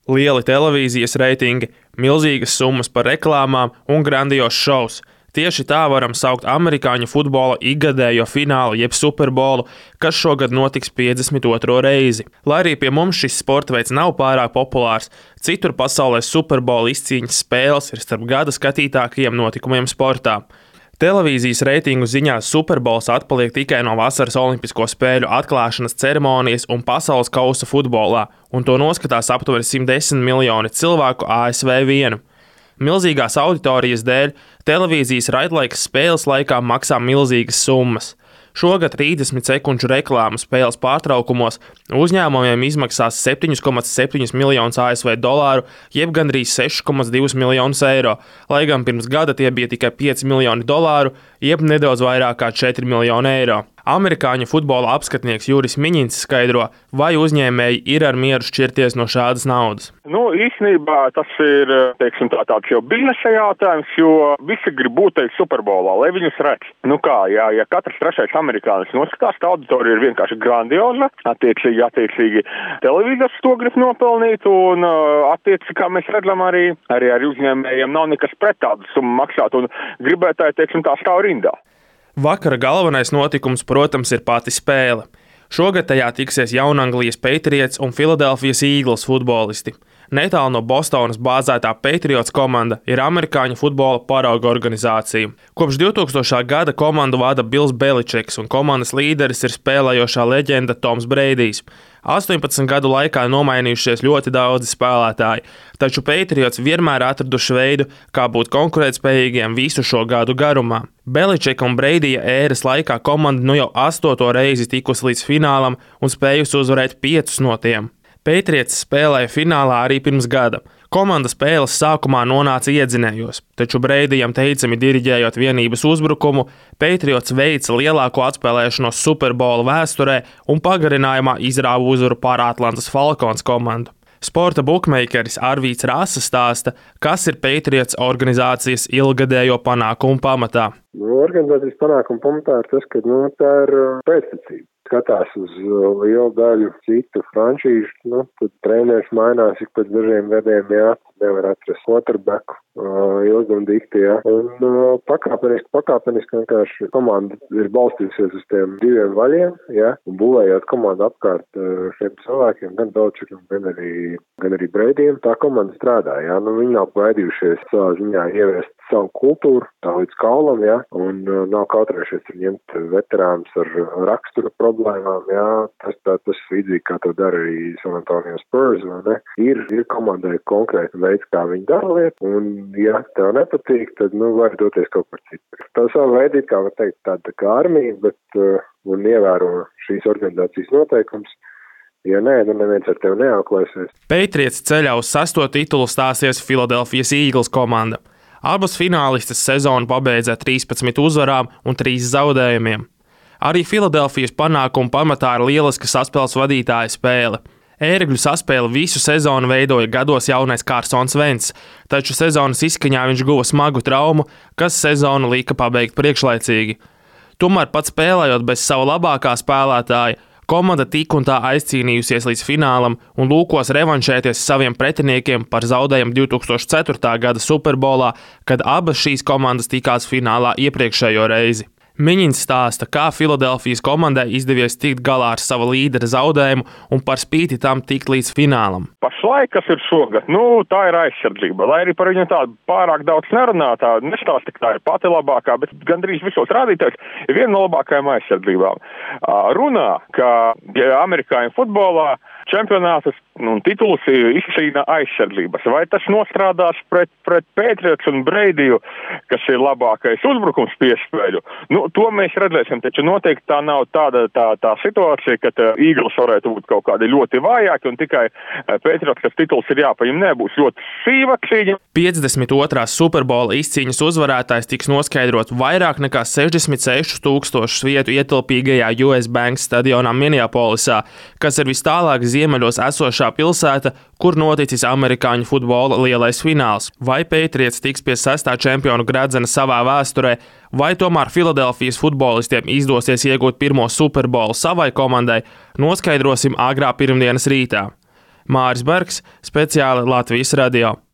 Lieli televīzijas reitingi, milzīgas summas par reklāmām un grandios šovs. Tieši tā varam saukt amerikāņu futbola ikgadējo finālu jeb Superbolu, kas šogad notiks 52. reizi. Lai arī pie mums šis sporta veids nav pārāk populārs, citur pasaulē Superbola izcīņas spēles ir starp gada skatītākajiem notikumiem sportā. Televīzijas reitingu ziņā Superbols atpaliek tikai no vasaras olimpisko spēļu atklāšanas ceremonijas un pasaules kausa futbolā, un to noskatās aptuveni 110 miljoni cilvēku ASV vienu. Milzīgās auditorijas dēļ televīzijas raidlaiks spēles laikā maksā milzīgas summas. Šogad 30 sekundžu reklāmu spēles pārtraukumos uzņēmumiem izmaksās 7,7 miljonus ASV dolāru, jeb gandrīz 6,2 miljonus eiro, lai gan pirms gada tie bija tikai 5 miljoni dolāru, jeb nedaudz vairāk kā 4 miljoni eiro. Amerikāņu futbola apskatnieks Juris Miņins skaidro, vai uzņēmēji ir ar mieru šķirties no šādas naudas. Īstenībā tas ir, tāds jau biznesa jautājums, jo visi grib būt Superbolā, lai viņus redz. Ja katrs trešais amerikānis noskatās, tā auditorija ir vienkārši grandioza, attiecīgi televīzors to grib nopelnīt, un attiecīgi, kā mēs redzam, arī uzņēmējiem nav nekas pret tādu summu maksāt, un gribētāji, tā stāv rindā. Vakara galvenais notikums, protams, ir pati spēle. Šogad tajā tiksies Jaunanglijas Patriots un Philadelphia Eagles futbolisti. Netālu no Bostonas bāzētā Patriots komanda ir amerikāņu futbola parauga organizācija. Kopš 2000. gada komandu vada Bills Beličiks un komandas līderis ir spēlējošā leģenda Toms Breidijs. 18 gadu laikā nomainījušies ļoti daudzi spēlētāji, taču Patriots vienmēr atraduši veidu, kā būt konkurētspējīgiem visu šo gadu garumā. Beličika un Breidija ēras laikā komanda jau 8. reizi tikusi līdz finālam un spējusi uzvarēt 5 no tiem. Patriots spēlēja finālā arī pirms gada. Komanda spēles sākumā nonāca iedzinējos, taču Breidijam teicami diriģējot vienības uzbrukumu, Patriots veica lielāko atspēlēšanos Superbola vēsturē un pagarinājumā izrāva uzvaru pār Atlantas Falcons komandu. Sporta bukmeikeris Arvīts Rasa stāsta, kas ir Patriots organizācijas ilgadējo panākumu pamatā. Organizācijas panākumu pamatā ir tas, ka tā ir pēctecība. Skatās uz lielu daļu citu franšīžu, tad treneris mainās ik pēc dažiem gadiem, nevar atrast quarterbacku ilgi un dikti, Un pakāpeniski vienkārši komanda ir balstījusies uz tiem 2 vaļiem, un būvējot komandu apkārt šiem cilvēkiem, gan Beličikam, gan arī Breidijam, tā komanda strādā, Viņi nav baidījušies savā ziņā ieviest savu kultūru, tā līdz kaulam, un nav kautrējušies ar ņemt veterānus ar rakstura problēmām, tas līdzīgi kā to dara arī San Antonio Spurs, vai ne? Ir komandai konkrēti veids, kā viņi dara lietu, un ja tev nepatīk, tad, var doties kaut kur citur. Tā savu veidu, kā var teikt, tāda kā armija, bet un ievēro šīs organizācijas noteikums. Ja nē, neviens ar tevi neauklēsies. Patriots ceļā uz 6. titulu stāsies Philadelphia Eagles komanda. Abas finālistes sezonu pabeidza 13 uzvarām un 3 zaudējumiem. Arī Filadelfijas panākumu pamatā ir lieliska saspēles vadītāja spēle. Ērgļu saspēli visu sezonu veidoja gados jaunais Carsons Wentz, taču sezonas izskaņā viņš guva smagu traumu, kas sezonu lika pabeigt priekšlaicīgi. Tomēr pat spēlējot bez sava labākā spēlētāja, komanda tik un tā aizcīnījusies līdz finālam un lūkos revanšēties saviem pretiniekiem par zaudējumu 2004. gada Superbolā, kad abas šīs komandas tikās finālā iepriekšējo reizi. Miņins stāsta, kā Filadelfijas komandai izdevies tikt galā ar sava līdera zaudējumu un par spīti tam tikt līdz finālam. Pašlaik, kas ir šogad, tā ir aizsardzība. Lai arī par viņu tādu pārāk daudz nerunā, tā nestāsta, ka tā ir pati labākā, bet gandrīz visos rādītājos ir viena no labākajām aizsardzībām. Runā, ka amerikāņu futbolā čempionātus un titulus izcīna aizsardzības. Vai tas nostrādās pret Patriots un Breidiju, kas ir labākais uzbrukums piespēļu? To mēs redzēsim, taču noteikti tā nav tā situācija, ka Eagles varētu būt kaut kādi ļoti vājāki un tikai Patriots, kas tituls ir jāpaņem, nebūs ļoti sīva cīņa. 52. Superbola izcīņas uzvarētājs tiks noskaidrots vairāk nekā 66,000 vietu ietilpīgajā US Bank stadionā Minneapolisā, kas ir vistālāk ziemeļos esošā pilsēta, kur noticis amerikāņu futbola lielais fināls. Vai Patriots tiks pie 6. čempionu gredzena savā vēsturē, vai tomēr Filadelfijas futbolistiem izdosies iegūt pirmo Superbolu savai komandai, noskaidrosim agrā pirmdienas rītā. Māris Bergs, speciāli Latvijas radio.